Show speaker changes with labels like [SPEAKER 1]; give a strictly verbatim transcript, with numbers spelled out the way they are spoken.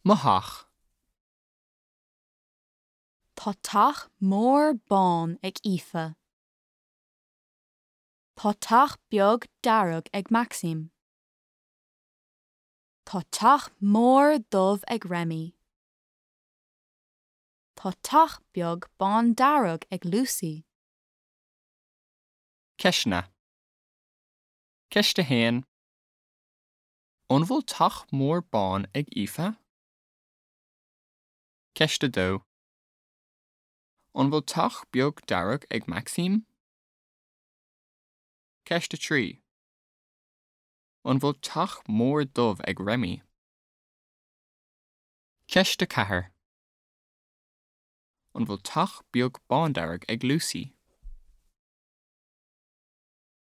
[SPEAKER 1] Mo theach.
[SPEAKER 2] Tá teach mór bán ag Aoife. Tá teach beag dearg ag Maxim. Tá teach mór dubh ag Remy. Tá teach beag bándearg ag Lucy.
[SPEAKER 1] Ceisteanna. Ceist a haon. An bhfuil teach mór bán ag Aoife? Ceist a dó. An bhfuil teach beag dearg ag Maxim? Ceist a trí. An bhfuil teach mór dubh ag Remy? Ceist a ceathair. An bhfuil teach beag bándearg ag Lucy?